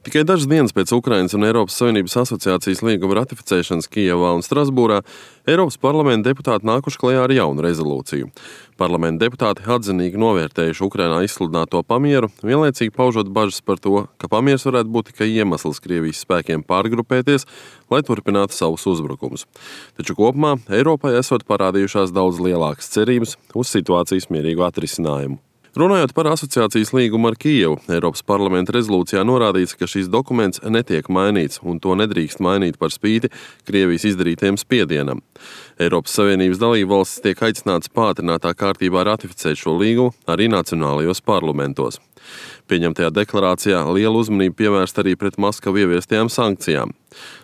Tikai dažas dienas pēc Ukrainas un Eiropas Savienības asociācijas līguma ratificēšanas Kijevā un Strasbūrā Eiropas parlamenta deputāti nākuši klajā ar jaunu rezolūciju. Parlamenta deputāti atzinīgi novērtējuši Ukrainā izsludināto pamieru, vienlaicīgi paužot bažas par to, ka pamiers varētu būt tikai iemesls Krievijas spēkiem pārgrupēties, lai turpinātu savus uzbrukumus. Taču kopumā Eiropai esot parādījušās daudz lielākas cerības uz situācijas mierīgu atrisinājumu. Runājot par asociācijas līgumu ar Kijevu, Eiropas parlamenta rezolūcijā norādīts, ka šis dokuments netiek mainīts un to nedrīkst mainīt par spīti Krievijas izdarītajam spiedienam. Eiropas Savienības dalībvalstis tiek aicināts pātrinātā kārtībā ratificēt šo līgumu arī nacionālajos parlamentos. Pieņemtajā deklarācijā liela uzmanība pievērsta arī pret Maskavu ieviestajām sankcijām.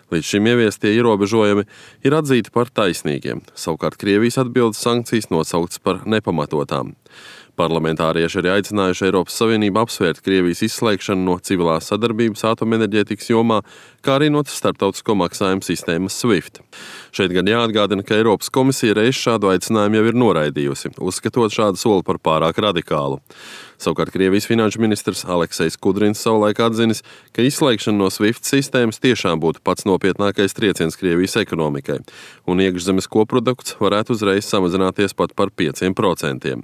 Līdz šim ieviestie ierobežojumi ir atzīti par taisnīgiem, savukārt Krievijas atbildes sankcijas nosauktas par nepamatotām. Parlamentārieši arī aicinājuši Eiropas Savienību apsvērt Krievijas izslēgšanu no civilās sadarbības atomenerģētikas jomā, kā arī no starptautisko maksājumu sistēmas SWIFT. Šeit gan jāatgādina, ka Eiropas komisija reiz šādu aicinājumu jau ir noraidījusi, uzskatot šādu soli par pārāk radikālu. Savukārt Krievijas finanšu ministrs Aleksejs Kudrins savulaik atzinis, ka izslēgšana no SWIFT sistēmas tiešām būtu pats nopietnākais trieciens Krievijas ekonomikai, un iekšzemes koprodukts varētu uzreiz samazināties pat par 5%.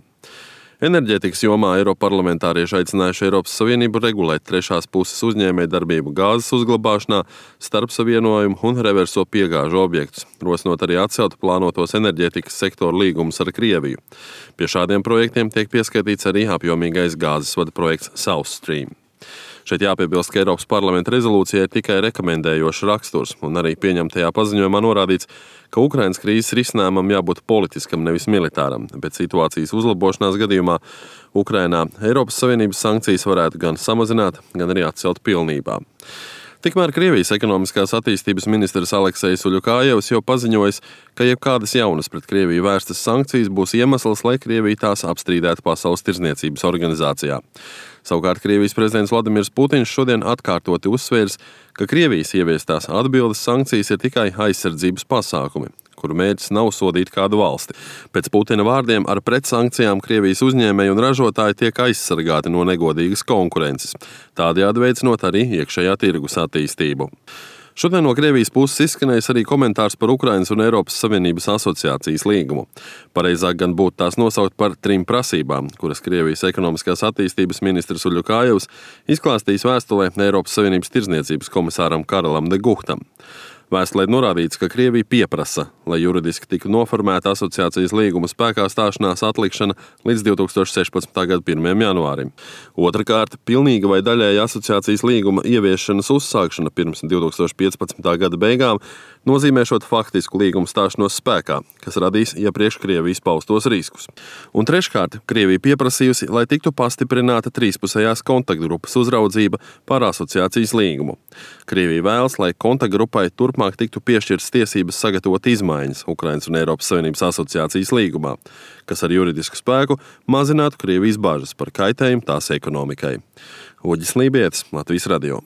Enerģētikas jomā eiroparlamentārieši aicinājuši Eiropas Savienību regulēt trešās puses uzņēmējdarbību gāzes uzglabāšanā, starpsavienojumu un reverso piegāžu objektus, rosinot arī atcelt plānotos enerģētikas sektora līgumus ar Krieviju. Pie šādiem projektiem tiek pieskaitīts arī apjomīgais gāzes vada projekts South Stream. Šeit jāpiebilst, ka Eiropas parlamenta rezolūcija ir tikai rekomendējošs raksturs, un arī pieņemtajā paziņojumā norādīts, ka Ukrainas krīzes risinājumam jābūt politiskam, nevis militāram, bet situācijas uzlabošanās gadījumā Ukrainā Eiropas Savienības sankcijas varētu gan samazināt, gan arī atcelt pilnībā. Tikmēr Krievijas ekonomiskās attīstības ministrs Aleksejs Uļukājevs jau paziņojis, ka jebkādas jaunas pret Krieviju vērstas sankcijas būs iemesls, lai Krievija tās apstrīdētu Pasaules tirdzniecības organizācijā. Savukārt Krievijas prezidents Vladimirs Putins šodien atkārtoti uzsvērs, ka Krievijas ieviestās atbildes sankcijas ir tikai aizsardzības pasākumi, kuru mērķis nav sodīt kādu valsti. Pēc Putina vārdiem ar pretsankcijām Krievijas uzņēmēji un ražotāji tiek aizsargāti no negodīgas konkurences, tādējādi veicinot arī iekšējā tirgus attīstību. Šodien no Krievijas puses izskanējis arī komentārs par Ukrainas un Eiropas Savienības asociācijas līgumu. Pareizāk gan būtu tās nosaukt par 3 prasībām, kuras Krievijas ekonomiskās attīstības ministrs Uļukājevs izklāstījis vēstulē Eiropas Savienības tirdzniecības komisāram Karelam de Guhtam. Vēstulē norādīts, ka Krievija pieprasa, lai juridiski tiktu noformēta asociācijas līguma spēkā stāšanās atlikšana līdz 2016. gada 1. janvārim. Otrakārt, pilnīga vai daļēja asociācijas līguma ieviešanas uzsākšana pirms 2015. gada beigām nozīmēšot faktisku līgumu stāšanos spēkā, kas radīs iepriekš Krievijas paustos riskus. Un treškārt, Krievija pieprasījusi, lai tiktu pastiprināta trīspusējās kontaktgrupas uzraudzība par asociācijas līgumu. Krievija vēlas, lai kontaktgrupai turpmāk tiktu piešķirtas tiesības sagatavot izmaiņas Ukrainas un Eiropas Savienības asociācijas līgumā, kas ar juridisku spēku mazinātu Krievijas bažas par kaitējumu tās ekonomikai. Uģis Lībietis, Latvijas radio.